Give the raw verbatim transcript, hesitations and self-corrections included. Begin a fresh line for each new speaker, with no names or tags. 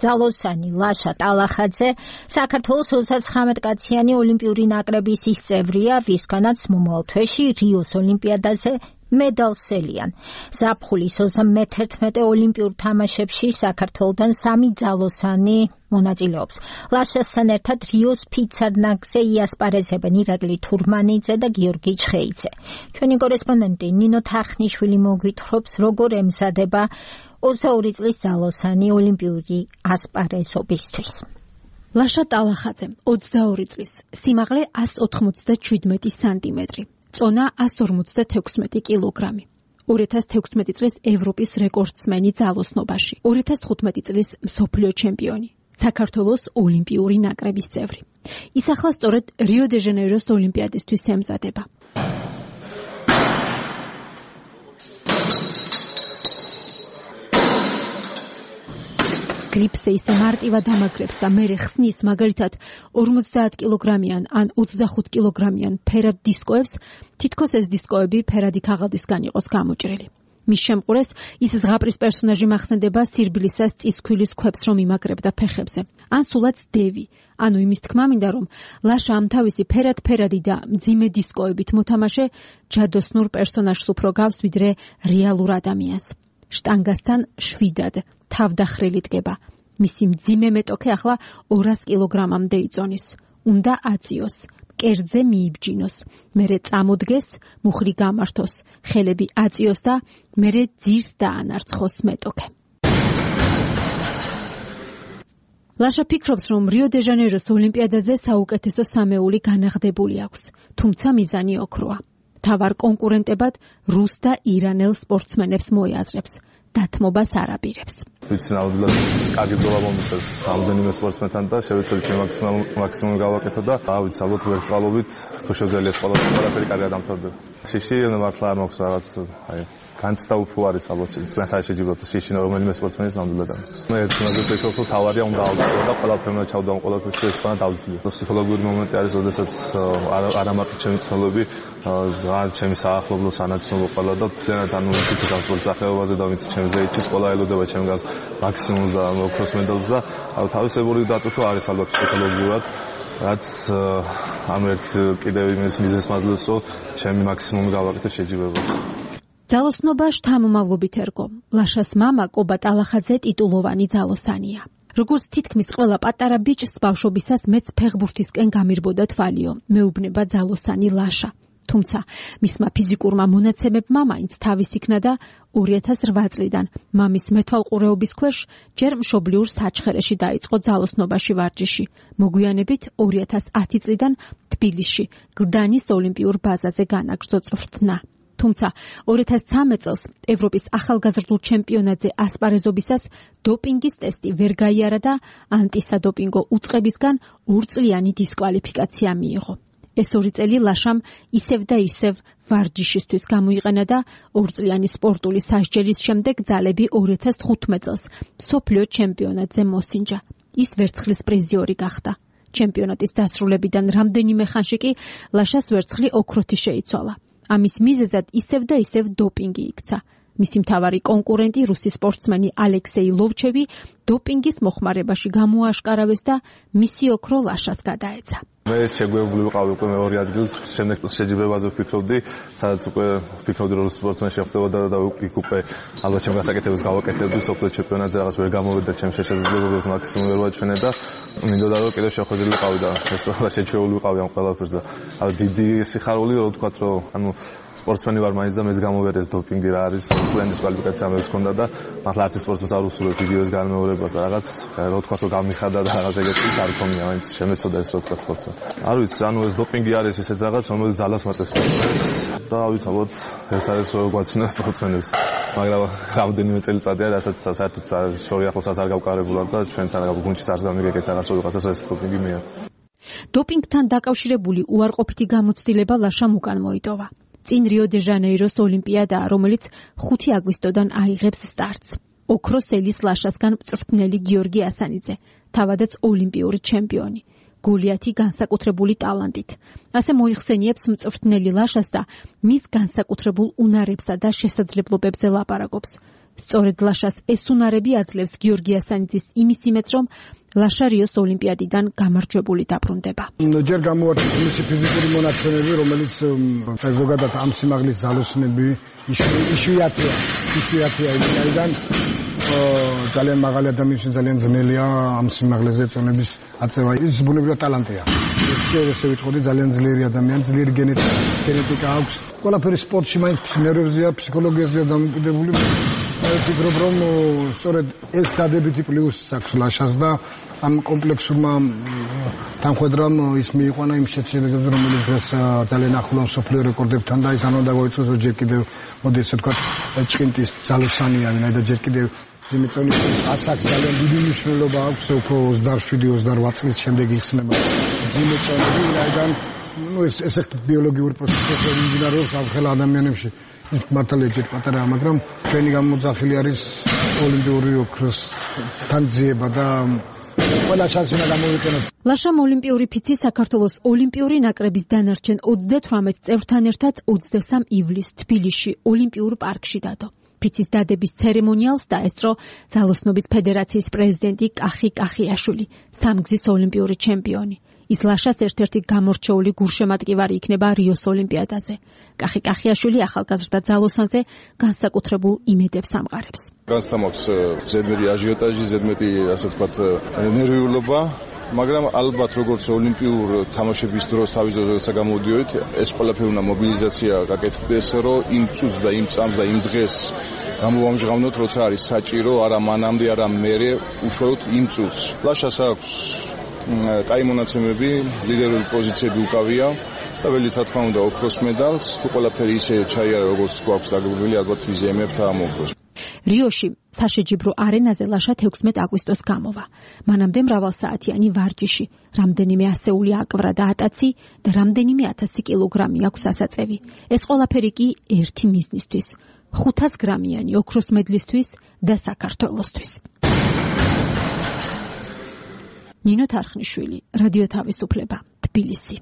ძალოსანი ლაშა ტალახაძე საქართველოს ოცდათხრამეტ კაციანი ოლიმპიური ნაკრების ის წევრია, ვისგანაც მომავალ თვეში რიოს ოლიმპიადაზე მედალსელიან. ზაფხულის ოცდამეთერთმეტე ოლიმპიურ თამაშებში საქართველოდან სამი ძალოსანი მონაწილეობს. ლაშასთან ერთად რიოს ფიცარნაგზე იასპარეზებენ ირაკლი თურმანიძე და გიორგი ჩხეიძე. ჩვენი კორესპონდენტი ნინო თარხნიშვილი მოგვითხრობს, როგორ ემზადება ოცდაორი წლის ძალოსანი ოლიმპიური ასპარეზობისთვის.
ლაშა ტალახაძე, ოცდაორი წლის, სიმაღლე ას ოთხმოცდაშვიდმეტი სანტიმეტრი. წონა ას ორმოცდათექვსმეტი კილოგრამი. ორი ათას თექვსმეტი წლის ევროპის რეკორდსმენი ძალოსნობაში. ორი ათას თხუთმეტი წლის მსოფლიო ჩემპიონი. საქართველოს ოლიმპიური ნაკრების წევრი. ის ახლა სწორედ რიო-დე-ჟანეიროს ოლიმპიადისთვის ემზადება. გრიფსზე ისე მარტივად ამაგრებს და მერე ხსნის, მაგალითად ორმოცდაათ კილოგრამიან ან ოცდახუთ კილოგრამიან ფერად დისკოებს, თითქოს ეს დისკოები ფერადი ქაღალდისგან იყოს გამოჭრილი. მის შემყურეს ის ზღაპრის პერსონაჟი მახსენდება სირბილისას წისქვილის ქვებს რომ იმაგრებდა ფეხებზე. ან სულაც დევი. ანუ იმის თქმა მინდა რომ ლაშა ამ თავისი ფერად-ფერადი და მძიმე დისკოებით მოთამაშე ჯადოსნურ პერსონაჟს უფრო გავს ვიდრე რეალურ ადამიანს. შტანგასთან შვიდად თავდახრილი დგება. მისი მძიმე მეტოქე ახლა ორას კილოგრამამდე იწონის. უნდა აწიოს, კერძზე მიიბჯინოს, მერე წამოდგეს, მუხლი გამართოს, ხელები აწიოს და მერე ძირს დაანარცხოს მეტოქე. ლაშა ფიქრობს, რომ რიო-დე-ჟანეიროს ოლიმპიადაზე საუკეთესო სამეული განაღდებული აქვს, თუმცა მიზანი ოქროა. თავარ კონკურენტებად რუს და ირანელ სპორტსმენებს მოიაზრებს. დათმობას არ აპირებს.
ვიცი ნამდვილად კარგი ბრძოლა მომიწევს რამდენიმე სპორტსმენთან და შევეცდები ჩემი მაქსიმუმი გავაკეთო და ავიც ალბათ ვერცხალობით თუ შევძელია ეს ყველაფერი კარგად დამთავრდება. შიში მართლა არ მაქვს რაღაც აი განცდა უფრო არის ალბათ წლას არ შეჯიბროთ შიში რომელიმე სპორტსმენის ნამდვილად არის. მე ერთმანეთს ვფიქრობ რომ თავარია უნდა ავწევო და ყველაფერმა ჩავდა ამ ყველაფერში ერთმანეთს დავძლია. ფსიქოლოგიური მომენტი არის როდესაც არ ამარტო ჩემი ცნობები ძალიან ჩემი საახლობლო სანაცნობო ყველა და თლიანად ანუ ვიცი ამ სპორტ სახეობაზე და ვიცი ჩემზე იცის ყველა ელოდება ჩემგანს მაქსიმუმს და ოქროს მედალს და თავისებური დატვირთვა არის ალბათ ფსიქოლოგიურად რაც ამ ერთ კიდევ იმის მიზეზს მაძლევს რომ ჩემი მაქსიმუმი გავაკეთე შეჯიბრებას.
ძალოსნობა შთამომავლობით ერგო. ლაშას მამა კობა ტალახაძე ტიტულოვანი ძალოსანია. როგორც თითქმის ყველა პატარა ბიჭს ბავშვობისას მეც ფეხბურთისკენ გამირბოდა თვალიო. მეუბნება ძალოსანი ლაშა. თუმცა მისმა ფიზიკურმა მონაცემებმა მაინც თავის იქნა და ორი ათას რვა წლიდან მამის მეთვალყურეობის ქვეშ ჯერ მშობლიურ საჩხერეში დაიწყო ძალოსნობაში ვარჯიში. მოგვიანებით ორი ათას ათი წლიდან თბილისში გლდანის ოლიმპიურ ბაზაზე განაგრძო წვრთნა. თუმცა ორი ათას ცხრამეტ წელს ევროპის ახალგაზრდულ ჩემპიონატზე ასპარეზობისას დოპინგის ტესტი ვერ გაიარა და ანტისადოპინგო უწყებისგან ორწლიანი დისკვალიფიკაცია მიიღო. ეს ორი წელი ლაშამ ისევ და ისევ ვარჯიშისთვის გამოიყენა და ორწლიანი სპორტული სასჯელის შემდეგ ძალები ორი ათას თხუთმეტ წელს მსოფლიო ჩემპიონატზე მოსინჯა. ის ვერცხლის პრიზიორი გახდა. ჩემპიონატის დასრულებიდან რამდენიმე ხანში კი ლაშას ვერცხლი ოქროთი შეიცვალა. ამის მიზეზად ისევ და ისევ დოპინგი იქცა. მისი მთავარი კონკურენტი რუსი სპორტსმენი ალექსეი ლოვჩევი დოპინგის მოხმარებაში გამოაშკარავეს და მისი ოქრო ლაშას გადაეცა.
მე შეგვეუბნები ვიყავი უკვე მეორე ადგილს, შემდეგ შეჯიბრებაზე ვფიქრობდი, სადაც უკვე ვფიქრობდი რომ სპორტსმენი შეხვდებოდა და იქ უკვე ალბათ ჩემ გასაკეთებელს გავაკეთებდი სოფლიო ჩემპიონატზე რაღაც ვერ გამოვიდა ჩემს შესაძლებლობებს მაქსიმუმ ვერ ვაჩვენე და მინდოდა რომ კიდევ შეხვედრილი ვიყავი და ეს რა შეჩვეული ვიყავი ამ ყველაფერს და ანუ დიდი სიხარული რომ ვთქვათ რომ ანუ სპორტსმენი ვარ მაინც და მეც გამოვერეს დოპინგი რა არის წლების კვალიფიკაცია მეც ჰქონდა და მართლა არც სპორტსმენს არ უსურვებ ვიდეოს განმეორებას და რაღაც რა ვთქვათ რომ გამიხადა და რაღაც ეგეთი არ ქონია მაინც შემეცოდა ეს რა ვთქვათ სპორტსმენ არ ვიცი ანუ ეს დოპინგი არის ესეთ რაღაც რომელიც ძალას მატებს და ვიცი ალბათ ეს არის რო გვაცნო სპორტსმენებს მაგრამ რამდენიმე წელიწადია რასაც საერთოდ შორი ახლოსაც არ გავკარებულა და ჩვენთან გუნდში არ დამიგეკეთ რაღაც რაღაცას ეს დოპინგი მეა
დოპინგთან დაკავშირებული უარყოფითი გამოცდილება ლაშამ უკან მოიტოვა. წინ რიო-დე-ჟანეიროს ოლიმპიადაა, რომელიც ხუთი აგვისტოდან აიღებს სტარტს. ოქროს ელის ლაშასგან მწვრთნელი გიორგი ასანიძე, თავადაც ოლიმპიური ჩემპიონი. გოლიათი განსაკუთრებული ტალანტით. ასე მოიხსენიებს მწვრთნელი ლაშას და მის განსაკუთრებულ უნარებსა და შესაძლებლობებზე ლაპარაკობს. სწორედ ლაშას ეს უნარები აძლევს გიორგი ასანიძის იმის იმედს, რომ ლაშა რიოს ოლიმპიადიდან გამარჯვებული დაბრუნდება.
ჯერ გამოართვეს მისი ფიზიკური მონაცემები, რომელიც ზოგადად ამ სიმაღლის ძალოსნები იშვიათია, იშვიათია იმიდან ძალიან მაღალი ადამიანის ძალიან ძნელია ამ სიმაღლეზე წონების აწევა. ის ბუნებრივად ტალანტია. ეს ვიტყოდი ძალიან ძლიერი ადამიანი, ძლიერი გენეტიკა აქვს. ყველაფერი სპორტში მაინც ნერვებზეა, ფსიქოლოგიაზეა დამოკიდებული. ვფიქრობ, რომ სწორედ ეს დადებითი პლუსი აქვს ლაშას და ამ კომპლექსურმა თანხმედრამ ის მიიყვანა იმ შედეგებს, რომელიც დღეს ძალიან ახლო მსოფლიო რეკორდებთან და ის ანუ დაგვაიწყოს, რომ ჯერ კიდევ მოდი ესე ვთქვათ, ჭკინტის ძალოსანია, ვინაიდან ჯერ კიდევ ზიმიწონის ასაკს ძალიან დიდი მნიშვნელობა აქვს, უფრო ოცდაშვიდი ოცდაოთხ წლის შემდეგ იხსნება ზიმიწონები, ვინაიდან ну ეს ეს ბიოლოგიური პროცესები მიმდინარეობს ახალ ადამიანებში. მართალია ჯერ პატარაა, მაგრამ ჩვენი გამოძახილი არის ოლიმპიური ოქროსთან ძიება და ყველა შანსი უნდა გამოვიყენოთ.
ლაშამ ოლიმპიური ფიცი საქართველოს ოლიმპიური ნაკრების დანარჩენ ოცდათვრამეტ წევრთან ერთად ოცდასამ ივლისს თბილისში ოლიმპიურ პარკში დადო. ფიცის დადების ცერემონიალს დაესწრო ძალოსნობის ფედერაციის პრეზიდენტი კახი კახიაშვილი, სამგზის ოლიმპიური ჩემპიონი. ის ლაშას ერთ-ერთი გამორჩეული გულშემატკივარი იქნება რიოს ოლიმპიადაზე. კახი კახიაშვილი ახალგაზრდა ძალოსანზე განსაკუთრებულ იმედებს ამყარებს.
განსთამავს ზედმეტი აჟიოტაჟი, ზედმეტი ასე ვთქვათ ნერვიულობა, მაგრამ ალბათ როგორც ოლიმპიურ თამაშების დროს თავის დროზე გამოდიოდით, ეს ყველაფერი უნდა მობილიზაცია გაკეთდეს, რომ იმ წუთს და იმ წამს და იმ დღეს გამოვამჟღავნოთ, როცა არის საჭირო, არა მანამდე, არა მერე, უშუალოდ იმ წუთს. ლაშას აქვს კაი მონაცემები, ლიდერული პოზიციები უკავია და ველი რა თქმა უნდა ოქროს მედალს, თუ ყველაფერი ისე ჩაიარა, როგორც გვაქვს დაგებული, ალბათ ვიზიემებთ ამოგვოს.
რიოში საშეჯიბრო არენაზე ლაშა თექვსმეტ აგვისტოს გამოვა. მანამდე მრავალსაათიანი ვარჯიში, რამდენიმე ასეული აკვრა და ატაცი და რამდენიმე ათასი კილოგრამი აქვს ასაწევი. ეს ყველაფერი კი ერთი მიზნისთვის, ხუთას გრამიანი ოქროს მედლისთვის და საქართველოსთვის. ნინო თარხნიშვილი, რადიო თავისუფლება, თბილისი.